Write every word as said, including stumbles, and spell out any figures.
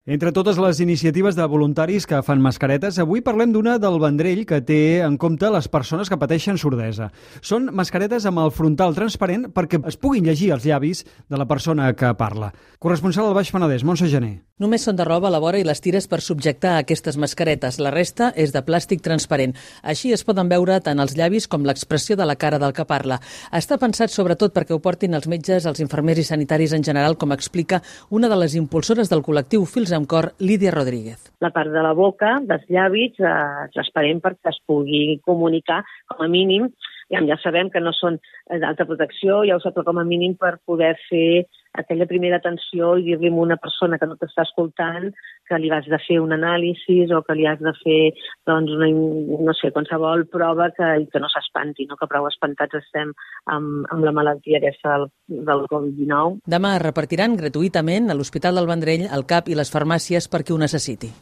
Entre totes les iniciatives de voluntaris que fan mascaretes, avui parlem d'una del Vendrell que té en compte les persones que pateixen sordesa. Són mascaretes amb el frontal transparent perquè es puguin llegir els llavis de la persona que parla. Corresponsal al Baix Penedès, Montse Gené. Només són de roba a la vora i les tires per subjectar aquestes mascaretes. La resta és de plàstic transparent. Així es poden veure tant els llavis com l'expressió de la cara del que parla. Està pensat sobretot perquè ho portin els metges, els infermers i sanitaris en general, com explica una de les impulsores del col·lectiu Fils amb Cor, Lídia Rodríguez. La part de la boca, dels llavis, eh, transparent perquè es pugui comunicar com a mínim. Ja, ja sabem que no són d'alta protecció, ja ho sap, però com a mínim per poder fer aquella primera atenció i dir-li a una persona que no t'està escoltant que li has de fer un anàlisi o que li has de fer, doncs, una, no sé, qualsevol prova que, que no s'espanti, no? Que prou espantats estem amb, amb la malaltia aquesta del, del covid dinou. Demà es repartiran gratuïtament a l'Hospital del Vendrell, al C A P i les farmàcies per qui ho necessiti.